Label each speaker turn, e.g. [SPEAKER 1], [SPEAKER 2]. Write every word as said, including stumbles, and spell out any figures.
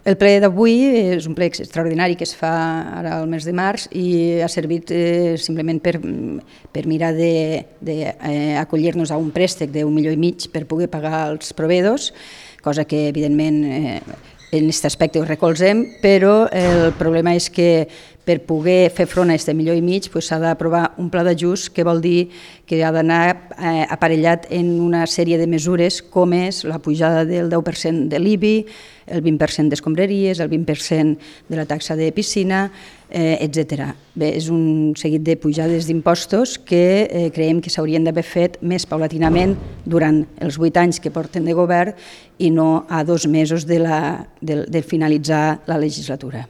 [SPEAKER 1] El ple d'avui és un ple extraordinari que es fa ara al mes de març i ha servit eh, simplement per, per mirar d'acollir-nos eh, a un préstec d'un milió i mig per poder pagar els proveïdors, cosa que evidentment eh, en aquest aspecte ho recolzem, però el problema és que per poder fer front a aquest milió i mig s'ha d'aprovar un pla d'ajust, que vol dir que ha d'anar eh, aparellat en una sèrie de mesures com és la pujada del deu per cent de l'I B I, el vint per cent d'escombraries, el vint per cent de la taxa de piscina, eh, etcètera. Bé, és un seguit de pujades d'impostos que eh, creiem que s'haurien d'haver fet més paulatinament durant els vuit anys que porten de govern i no a dos mesos de, la, de, de finalitzar la legislatura.